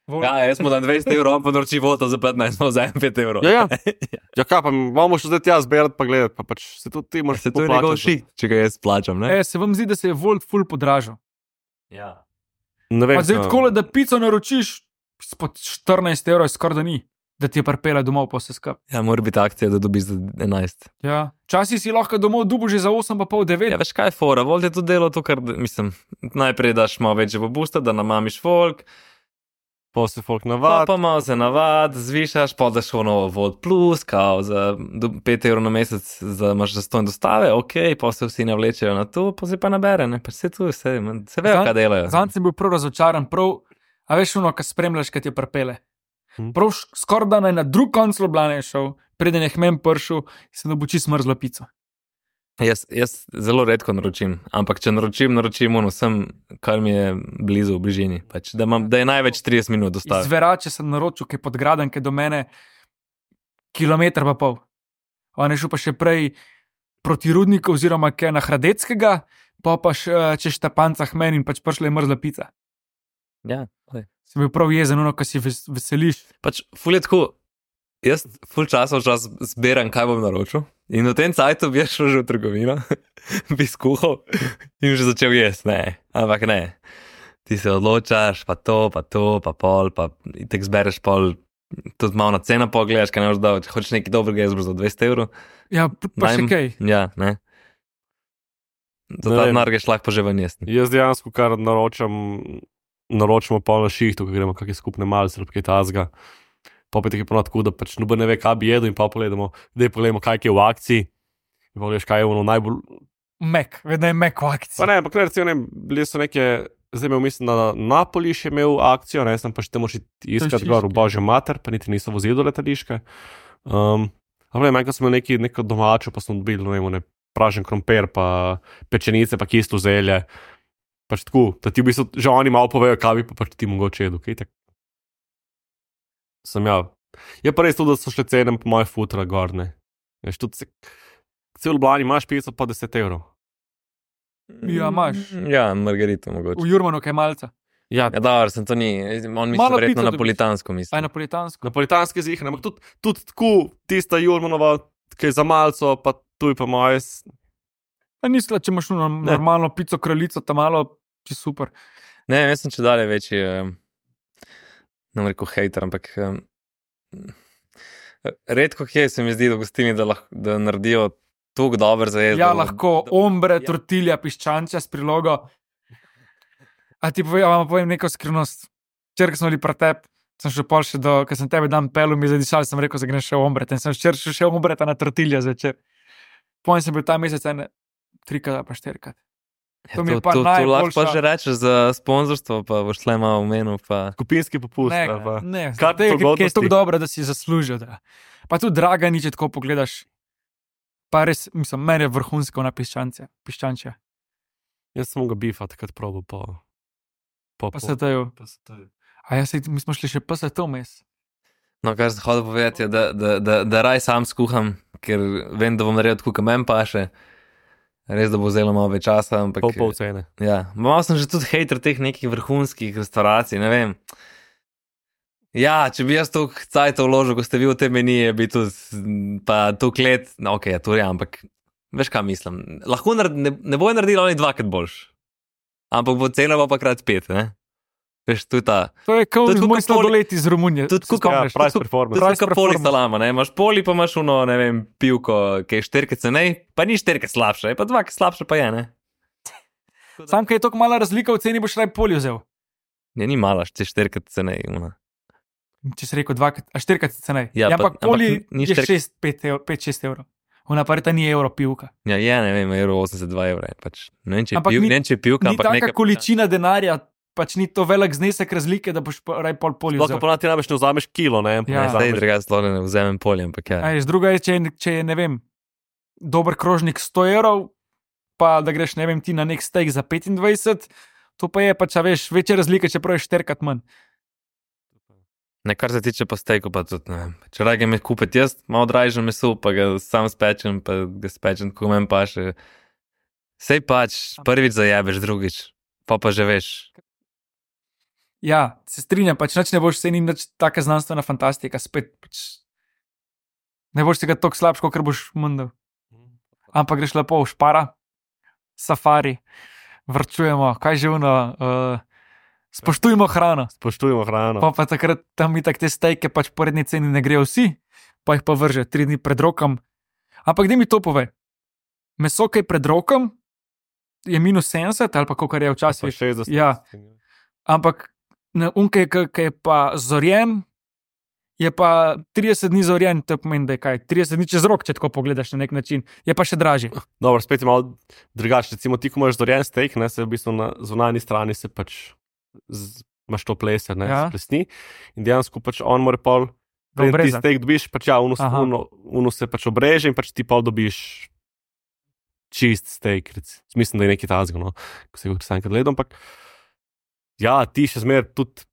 Ja, jaz smo dan dvajset evrov, on pa naroči voto za petnajst, pa vzamem pet evrov. Ja, ja. Ja, kaj pa, imamo še zdaj tja zbirati, pa gledati, pa pač se tudi ti moraš Se to je njegov šik, če ga jaz plačam, ne? E, se vam zdi, da se je Volt full podražil. Ja. Ne vem, Pa zdaj kaj- tako, da pico naročiš, spod štirinajst evrov je skoraj da ni, da ti je pripela domov po vse skup. Ja, mora biti akcija, da dobiš za enajst. Ja. Včasih si lahko domov dubu že za osem pa pol devet. Ja, veš kaj je fora, Volt je tudi delo to, kar, mislim, najprej daš malo večje popusta, da namamiš folk, Pa se folk pa, navad. pa malo se navad, zvišaš, pa daš ono Volt plus, kao za do, pet evrov na mesec, za imaš zastonj dostave, ok, pa se vsi navlečejo na to, pa se pa nabere, ne, pa se tu, se, se vejo, Zan- kaj delajo. Zanj sem bil prav razočaran, prav, a veš ono, kar spremljaš, kaj ti je pripele. Hm. Prav š- skoraj da naj na drug konc Ljubljane je šel, preden je hmen pršel, sem dobil čisto mrzlo pico. Jaz, jaz zelo redko naročim, ampak če naročim, naročim ono vsem, kar mi je blizu, v bližini, pač, da, imam, da je največ trideset minut Iz dostave. Verače sem naročil, ki je podgraden, ki je do mene kilometr pa pol. On je šel pa še prej proti Rudniku oziroma kaj na Hradeckega, pa pa še eh, čez Štepancah meni in pač prišla je mrzla pica. Ja, lej. Sem bil prav jezen, ono, ko si ves, veseliš. Pač, ful je tako, jaz ful časa v čas zbiram, kaj bom naročil. In v tem cajtu bi jaz šel že v trgovino, bi skuhal in že začel jesti, ne, ampak ne. Ti se odločaš, pa to, pa to, pa pol, pa tek zbereš pol, tudi malo na ceno pogledaš, kaj ne boš dal, če hočeš nekaj dobrega, jaz boš za dvajset evrov. Ja, p- pa še Najm- kaj. Ja, ne. Za Ne ta vem. denar greš lahko že ven jesti. Jaz dejansko kar naročam, naročamo pol na šihtu, ko gremo kakšne skupne malce ali kaj tazga. Pa pa je tako ponad tako, da pač noben ne ve, kaj bi jedel in pa pogledamo, da pogledamo, kaj je v akciji. In pa veš, kaj je ono najbolj. Mek, vedno je mek v akciji. Pa ne, ampak ne, recimo, ne, bili so neke, zdaj imel mislim, da Napoli še imel akcijo, ne, sem pa še te moči iskati Letališke. gor v Božjo mater, pa niti niso vozili do letališke. Um, ampak ne, manjka smo imeli neki, neko domačo, pa smo dobili, ne vem, ne, pražen krompir, pa pečenice, pa kisto zelje. Pač tako, da ti v bistvu že oni malo povejo, kaj bi pa pač ti mogoče jedel, kaj tak. Sem ja. Je pa res tudi, da so šle cene po moje futra gorne. Veš, tudi se, cel Ljubljani imaš pico pa deset evrov. Ja, imaš. Ja, margarito mogoče. V Jurmanu kaj malca. Ja, Ja, dobro, sem to ni, on misli Malo verjetno pico dobiš. napolitansko Aj misli. napolitansko. napolitanski zih, ampak tudi, tudi tako, tista Jurmanova, ki je za malco, pa tu je pa moje. s- A nisla, če imaš ono normalno pico kraljico, tam malo, če super. Ne, jaz sem če dalje večji, um, ne bom rekel hejter, ampak um, redko kje se mi zdi, da gostini, da, lahko, da naredijo tako dober za jesti. Ja, da- lahko da- ombre, ja. tortilja, piščančja s prilogo. A ti povem, a vam povem neko skrivnost. Včeraj, ko smo bili pretep, sem šel pol še do, ker sem tebe dan pelil, mi je zadišal, sem rekel, da greš še ombre. In sem včeraj šel še ombre na tortilja zvečer. Pojem sem bil ta mesec ene trikrat ali pa štirikrat. Ja, to mi je to, pa to, to lahko pa najboljša- že rečeš za sponzorstvo, pa boš tle malo omenil. Pa... Skupinski popust. Ne, ali pa- ne, Kar tega, ki je pogodnosti. tako dobro, da si zaslužijo. Da. Pa tudi draga nič, če tako pogledaš. Pa res, mislim, meni je vrhunsko na piščance, piščančja. Jaz sem ga bifa takrat probil po. po Pa se tajo. po se tajo. A ja, sej, mi smo šli še pa se to mes. No, kar sem hodil povedati, je, da, da, da, da raj sam skuham, ker vem, da bom naredil tako, kot meni paše. Res, da bo vzelo malo več časa, ampak... Pol pol cene. Ja, malo sem že tudi hejter teh nekih vrhunskih restauracij, ne vem. Ja, če bi jaz to cajt vložil, ko ste vi v te menije, bi tudi, pa to klet, no, ok, ja, to je, ampak veš, kaj mislim. Lahko naredi, ne, ne bojo naredili oni dvakrat boljš, ampak bo cena pa krat pet, ne? Veš, to je ta... To je kot Tudi moj kako sladoled iz Romunije. Tudi Se kako- spomniš? Ja, price tudi- performance. To je Price kot poli performance. salama, ne? Imaš poli, pa imaš uno, ne vem, pivko, ki je štirke cenej, pa ni štirke slabše, je pa dvakrat slabše pa je, ne? Sam, kaj je toliko mala razlika v ceni, boš raj poli vzel. Ne, ni mala, če štirke cenej, uno. Če si rekel dvakrat, a štirikrat cenej. Ja, Ja, pa- ampak poli ampak ni je štirikrat- šest, pet, ev, pet, šest evrov. Ona pa ta ni evro pivka. Ja, je, ne vem, evro osemdeset dva evra, je pač. Ne vem, če je Ampak piv, ni- ne vem, če je pivka, Ni ampak taka nekaj... količina denarja, pač ni to velik znesek razlike, da boš pa raj pol poli Lahko vzel. pa ti največ ne vzameš kilo, ne? Pa Ja. ne Zdaj, vzameš- drugače, sploh ne vzamem polje, ampak ja. A veš, druga je, če je, če je, ne vem, dober krožnik sto evrov, pa da greš, ne vem, ti na nek steak za petindvajset, to pa je pač, a veš, večja razlika, čeprav je štirikrat manj. Ne, kar se tiče pa stejku, pa tudi ne vem. Če rage me kupiti jaz, malo dražje meso, pa ga sam spečem, pa ga spečem, ko meni paše. Sej pač, prvič zajebeš, drugič, pa pa že veš. Ja, se strinjam, pač nič ne boš se ni nič taka znanstvena fantastika, spet pač ne boš tega tako slabš, kot boš mundal. Ampak greš lepo v špara, safari, vrčujemo, kaj že uno, uh, spoštujmo hrano. Spoštujemo hrano. Pa pa takrat tam mi tak te stejke pač po redni ceni ne grejo vsi, pa jih pa vrže tri dni pred rokom. Ampak gdje mi to pove? Meso, ki je pred rokom, je minus sedemdeset ali pa kolikor je Pa včasih. šestdeset. Ja. Ampak unke, ki je pa zorjen, je pa trideset dni zorjen, to pomeni, da je kaj, trideset dni čez rok, če tako pogledaš na nek način, je pa še dražji. Dobro, spet je malo drugače. Recimo, ti, ko imaš zorjen steak, ne, se v bistvu na zunanji strani se pač z, imaš to plese, ne, Ja. ja. plesni. In dejansko pač on mora pol, preden ti obrezati. steak dobiš, pač ja, uno, Aha. uno, uno se pač obreže in pač ti pol dobiš čist steak. Rec. Mislim, da je nekaj tazga, no, ko se ga sam enkrat gledam, ampak ja, ti še zmer tudi,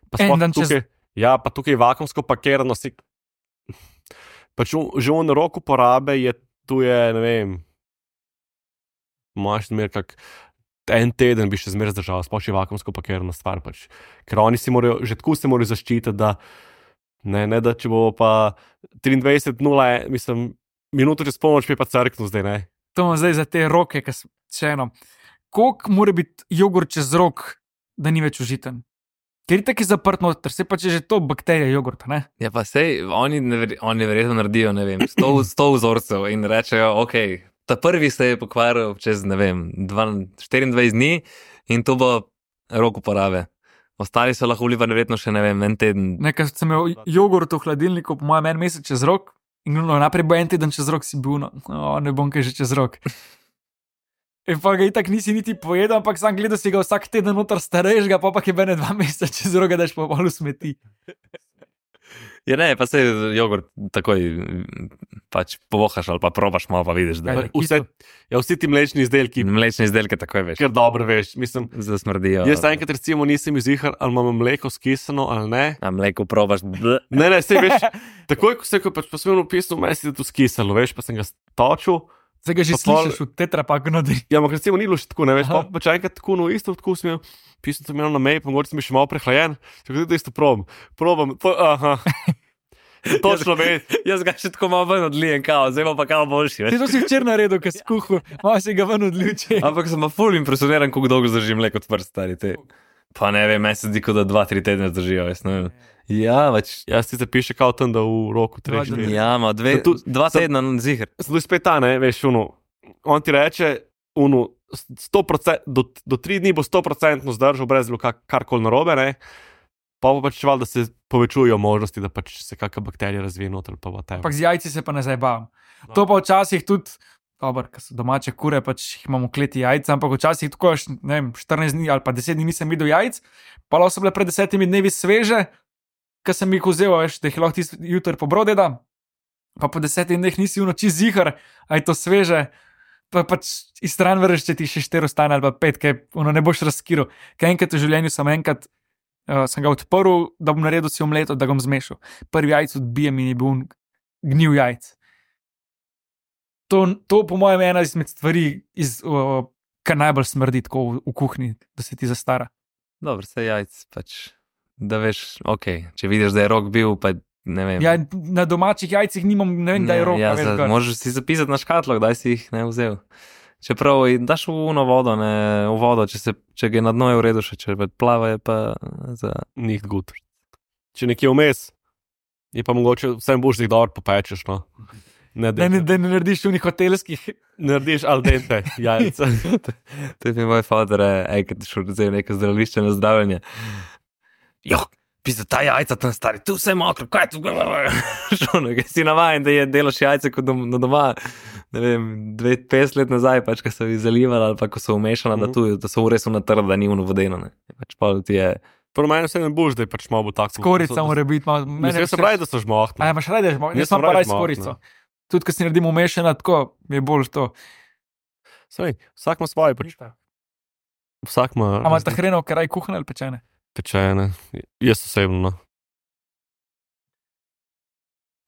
pa En sploh dan čez- tukaj, ja, pa tukaj vakumsko pakirano si, pač un, že on rok uporabe je, tu je, ne vem, imaš zmer kak, en teden bi še zmeraj zdržal, sploh še vakumsko pakirana stvar, pač. Ker oni si morajo, že tako se morajo zaščititi, da ne, ne da če bo pa triindvajset nula, mislim, minuto čez polnoč bi pa crknil zdaj, ne. To imam zdaj za te roke, ki so še eno. Koliko mora biti jogurt čez rok, da ni več užiten? Ker je tako zaprt noter, se pa če že to bakterija jogurta, ne? Ja, pa sej, oni, never, oni verjetno naredijo, ne vem, sto, sto vzorcev in rečejo, ok, ta prvi se je pokvaril čez, ne vem, dva, štiriindvajset dni in to bo rok uporabe. Ostali so lahko vlivali verjetno še, ne vem, en teden. Nekaj sem imel jogurt v hladilniku, po mojem, en mesec čez rok. In no, naprej bo en teden čez rok, si bil, no, oh, ne bom kaj že čez rok. In pa ga itak nisi niti pojedel, ampak sam gledal si ga vsak teden noter starejš, ga pa pa je bene dva meseca čez rok, daš pa malo smeti. Ja, ne, pa se jogurt takoj pač povohaš ali pa probaš malo, pa vidiš, da Kaj? Vse, ja, vsi ti mlečni izdelki, mlečne izdelke takoj veš, ker dobro veš, mislim, zasmrdijo. jaz enkrat recimo nisem izihar, ali imamo mleko skisano ali ne. A mleko probaš, bleh. Ne, ne, sej veš, takoj ko se je pač po svojem opisu mesi, da je to skisalo, veš, pa sem ga točil. Zdaj ga že Pa pol- slišiš v tetrapaku notri. Ja, ampak recimo ni bilo še tako, ne veš, Aha. pa pač enkrat tako, no isto, tako sem imel, pisal sem imel na mej, pa mogoče sem bil še malo prehlajen, če ga tudi isto probam, probam, po, aha, točno veš. Jaz ga še tako malo ven odlijem, kao, zdaj bo pa kao boljši. Ti Veš? to si včeraj naredil, ker si kuhal, malo si ga ven odljuče. Ampak sem pa ful impresioniran, kako dolgo zdrži mleko odprt, stari te. Pa ne vem, meni se zdi, kot da dva, tri tedne zdržijo, jaz ne vem. Ja, pač. Jaz ti zapiše kao tam, da v roku treh Dva dni. dni. Ja, ma dve, Zato- dva zato- tedna, no, ziher. Zdaj spet ta, ne, veš, uno, on ti reče, uno, sto procent, do, do tri dni bo sto procentno zdržal, brez bilo kar, karkoli narobe, ne, pa pa pač čeval, da se povečujejo možnosti, da pač se kakšna bakterija razvije noter, pa whatever. Ampak z jajci se pa ne zabavam. To pa včasih tudi, dobro, ker so domače kure, pač jih imamo v kleti jajca, ampak včasih tako, až, ne vem, štirinajst dni ali pa deset dni nisem videl jajc, pa lahko so bile pred desetimi dnevi sveže, ker sem jih vzel, veš, da jih lahko tisti jutr pobrode da, pa po desetih dneh nisi v noči zihar, a je to sveže, pa pač iz stran vreš, če ti še štiri ostane ali pa pet, kaj ono ne boš razkiral. Ker enkrat v življenju sem enkrat uh, sem ga odprl, da bom naredil si omleto, da ga bom zmešal. Prvi jajc odbijem in je bil gnil jajc. To, to po mojem, je ena izmed stvari, iz, uh, kar najbolj smrdi tako v, v kuhinji, da se ti zastara. Dobro, se jajc pač, da veš, ok, če vidiš, da je rok bil, pa ne vem. Ja, na domačih jajcih nimam, ne vem, da je rok. Ja, veš, za, gor. možeš si zapisati na škatlo, kdaj si jih ne vzel. Čeprav daš v uno vodo, ne v vodo, če, se, če ga je na dno je v redu, še če plava je pa za... Nicht gut. Če nekje vmes, je pa mogoče vsem boš jih dobro popečeš, no. Ne, Da ne, da ne narediš unih hotelskih. narediš al dente jajca. To je mi moj fader, ej, kad ti šel vzel neko zdravilišče na zdravljenje. Jo, pisa, ta jajca tam stari, tu vse mokro, kaj tu? Šono, kaj si navajen, da je delaš jajce kot dom, na doma, ne vem, dve, petdeset let nazaj, pač, ko so jih zalivali ali pa ko so umešana, mm. da, tu, da so v resu natrd, da ni uno vodeno, ne. Pač pa ti je... Prvo meni vse ne boš, da je pač malo bo tako. Skorica mora biti malo... Mislim, se pravi, da so žmohtni. A ja, imaš radi žmohtni? Jaz Jaz sem sem pa rad raj žmohtni. skorico. Tudi, ko si naredimo umešana, tako je bolj to. Saj, vsak ima svoje, pač. Vsak ima... A ima ta hrenov, kaj raj kuhne ali pečene? Pečene. Jaz osebno, no.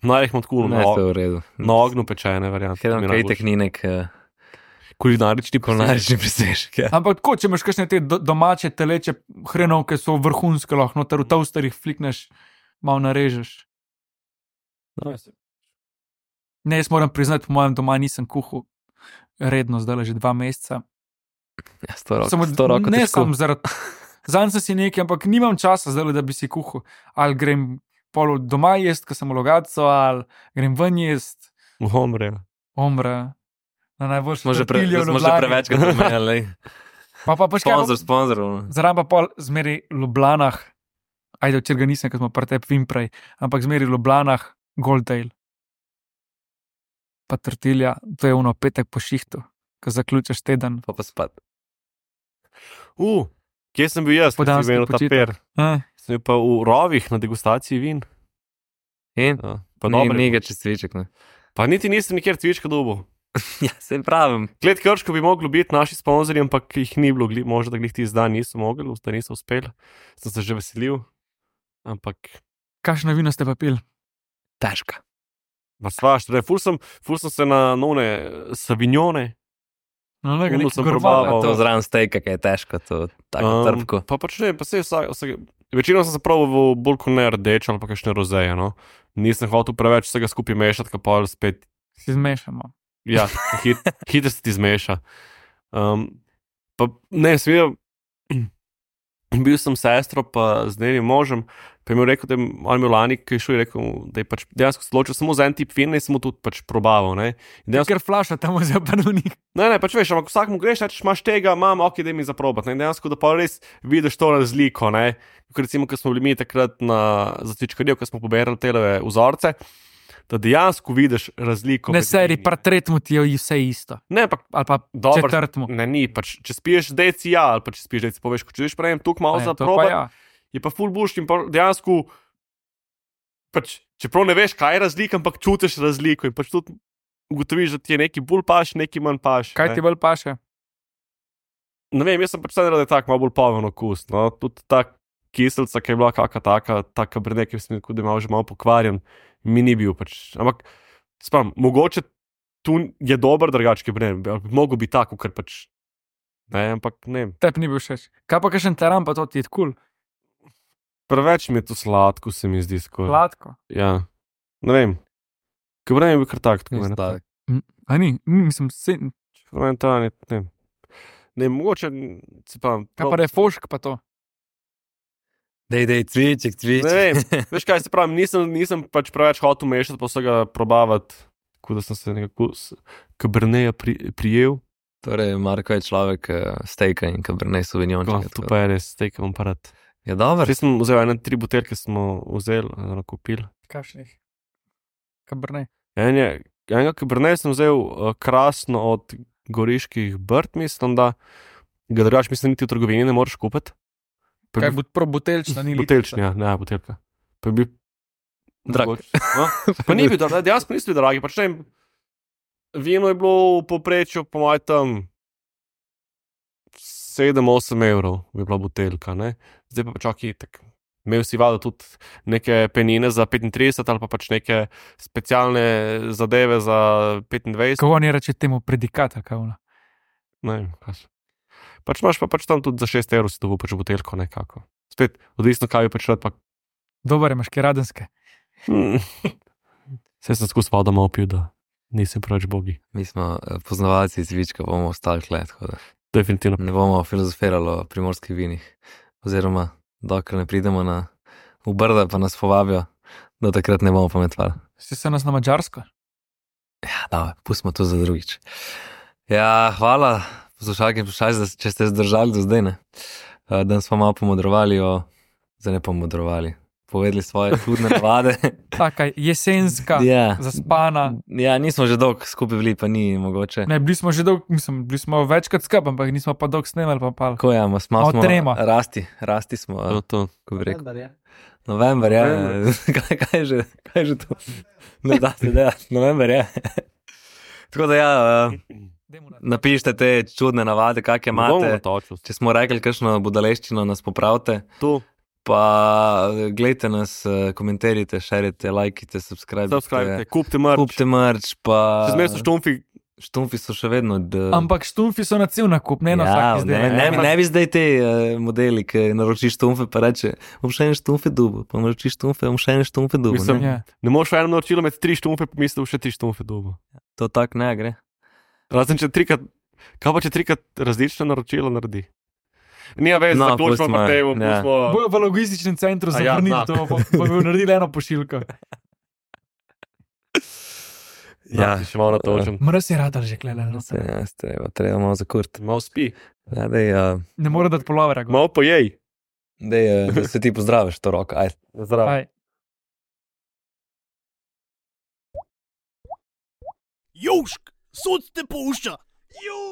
Naj jih imam tako Ne, na, to je v redu. na ognju pečene variante. Ker kaj tek ni nek uh, Kulinarični kulinarični presežek. Ja. Ampak tako, če imaš kakšne te do, domače teleče hrenov, ki so vrhunske, lahko noter v toasterjih flikneš, malo narežeš. No, Ne, jaz moram priznati, po mojem doma nisem kuhal redno, zdaj že dva meseca. Ja, sto rok, Samo, sto roko ne težko. sam zaradi... Zanj sem si nekaj, ampak nimam časa zdaj, da bi si kuhal. Ali grem pol doma jest, ko sem v Logatcu, ali grem ven jest, v Homre. omre. Na najboljši Smo že pre, tortiljo v smo že Ljubljani. prevečkrat omenjali. Pa pa pa še kaj, Sponzor, sponzor. zraven pa pol zmeri v Ljubljanah, ajde, včeraj ga nisem, ker smo pri tebi vim prej, ampak zmeri v Ljubljanah Goldale. Pa tortilja, to je ono petek po šihtu, ko zaključiš teden. Pa pa spat. Uh, kje sem bil jaz, ko si Podanski imel ta počitek. per? Eh, Sem bil pa v Rovih na degustaciji vin. In? Ja, pa Ni, dobre. ni ga čez cviček, ne. Pa niti nisem nikjer cvička dobil. Ja, se pravim. Klet Krško bi mogli biti naši sponzorji, ampak jih ni bilo, gli- možda da glih ti zdaj niso mogli, da niso uspeli. Sem se že veselil, ampak kakšno vino ste pa pil? Težka. pa svaš, torej, ful sem, ful sem se na none savignone. No, ne, Uno nekaj sem gorbalo. probaval. To zraven stejka, ki je težko, to tako um, trpko. Pa pač ne, pa se vsak, vsak, večino sem se pravil v bolj kot ne rdeč ali pa kakšne rozeje, no. Nisem hotel preveč vsega skupaj mešati, ka pa spet, Si zmešamo. ja, hit, hitro se ti zmeša. Um, pa ne, sem bil sem sestro, pa z njenim možem, pa je mi rekel, da je on imel lani, ki je šel, je rekel, da je pač dejansko se odločil samo za en tip vina in sem mu tudi pač probaval, ne. In dejansko, Ker flaša tam vzel panovnik. ne, ne, pač veš, ampak vsakmu greš, rečeš, imaš tega, imam, ok, da mi zaprobat, ne, in dejansko, da pa res vidiš to razliko, ne. Kot recimo, ko smo bili mi takrat na začečkarju, ko smo poberali televe vzorce, da dejansko vidiš razliko. Ne, med seri, vini. pa tretmu ti je vse isto. Ne, ampak Ali pa Dobro, četrtmu. ne, ni, pač, če spiješ deci, ja, ali pa če spiješ deci, poveš, ko če viš prejem tukaj malo Ne, za to pa probat, ja. je pa full bullshit in pa dejansko, pač, čeprav ne veš, kaj je razlika, ampak čutiš razliko in pač tudi ugotoviš, da ti je neki bolj paš, neki manj paš. Kaj ne. ti bolj paše? Ne vem, jaz sem pač sedaj, da je tako malo bolj poven okus, no, tudi ta kiselca, ki je bila kakšna taka, taka brne, ki sem da je malo že malo pokvarjen, mi ni bil pač, ampak, spam, mogoče tu je dober drugački brne, bi mogel biti tako, ker pač, ne, ampak ne. Tebi ni bil všeč. Kaj pa kakšen teran, pa to ti je kul. Preveč mi je to sladko, se mi zdi skoraj. Sladko. Ja, ne vem. Kabren je bil kar tak, tako Ni ne. sladek. A ni, ni, mislim, se, Kabren ta, ne, ne. Ne, mogoče, se pa... kaj pa refošk pa to. Dej, dej, cviček, cviček. Ne vem, veš kaj se pravim, nisem, nisem pač preveč hotel mešati, pa vsega probavati, tako da sem se nekako s kaberneja pri, prijel. Torej, Marko je človek uh, stejka in kabernej Oh, sauvignon. to pa je res, steak imam pa rad. Je dober. Zdaj sem vzel ene tri buteljke, smo vzeli, eno kupili. Kakšnih? Kabrne. En je, enega kaberneja sem vzel uh, krasno od goriških brd, mislim, da ga drugač mislim, niti v trgovini ne moreš kupiti. Pa je Kaj bo prav buteljčna, ni Buteljčni, ja, ne, buteljka. Pa je bil Drag. mogoče, no? Pa ni bil, drag, dejansko niso bili dragi, pač ne vem, vino je bilo v povprečju, po mojem, tam sedem osem evrov bi bila buteljka, ne. Zdaj pa pač ok, tak Imel si vado tudi neke penine za petintrideset ali pa pač neke specialne zadeve za petindvajset. Kako oni reče temu predikat, ali kaj ono? Ne vem, kaj so. Pač imaš pa pač tam tudi za šest evrov si dobil pač buteljko nekako. Spet, odvisno kaj bi pač rad pa... Dobar, imaš kaj radenske. Hmm. Vse sem skus vodo malo pil, da nisem preveč bogi. Mi smo eh, poznavalci cvička, bomo ostali tle, tako da Definitivno. ne bomo filozofirali o primorskih vinih. Oziroma, dokler ne pridemo na v Brda, pa nas povabijo, do takrat ne bomo pametvali. Si se nas na Madžarsko? Ja, da, pustimo to za drugič. Ja, hvala, poslušalke in poslušalci, če ste zdržali do zdaj, ne. Uh, danes smo malo pomodrovali o... Zdaj ne pomodrovali. Povedali svoje čudne navade. Taka jesenska, Ja. zaspana. Ja, nismo že dolgo skupaj bili, pa ni mogoče. Ne, bili smo že dolgo, mislim, bili smo večkrat skupaj, ampak nismo pa dolgo snemali, pa pal. Tako ja, smo, Malo smo trema. rasti, rasti smo, To, uh, to. ko bi rekel. November, ja. kaj, kaj, je že, kaj je že to? Ne da se delati, november, ja. Tako da ja, uh, napišite te čudne navade, kakje Ne bomo imate. natočili. Če smo rekli kakšno budaleščino, nas popravite. Tu, Pa gledajte nas, eh, komentirajte, šerite, lajkite, subscribe. subscribe, kupite merch. Kupite merch, pa... Še zmeraj so štumfi. Štumfi so še vedno... D... Ampak štumfi so na cel nakup, ne na ja, vsak ne, izdelek. ne, ne, ne bi zdaj te uh, modeli, ki naročiš štumfe, pa reče, bom še ene štumfe dubo, pa naročiš štumfe, bom še ene štumfe dubo. Mislim, Ne? Ja. Ne moreš v enem naročilu med tri štumfe, pa misliš še tri štumfe dobo. To tak ne gre. Razen če trikrat, kaj pa če trikrat različne naročila naredi? Nija vez, No, no, zaključimo pustimo, pa temu, ja. pustimo. Bojo v logističnem centru A ja, zavrnili na. to, pa pa bi naredili eno pošiljko. Ja, še malo natočem. Mraz je radar že klele. No. Se, ja, treba, treba malo zakurt. Malo spi, Ja, dej, uh, Ne more dati polovera. go. malo pojej. dej, uh, da se ti pozdraviš to roko, ajde. Zdravo. Aj. Južk, sod te pušča. Južk.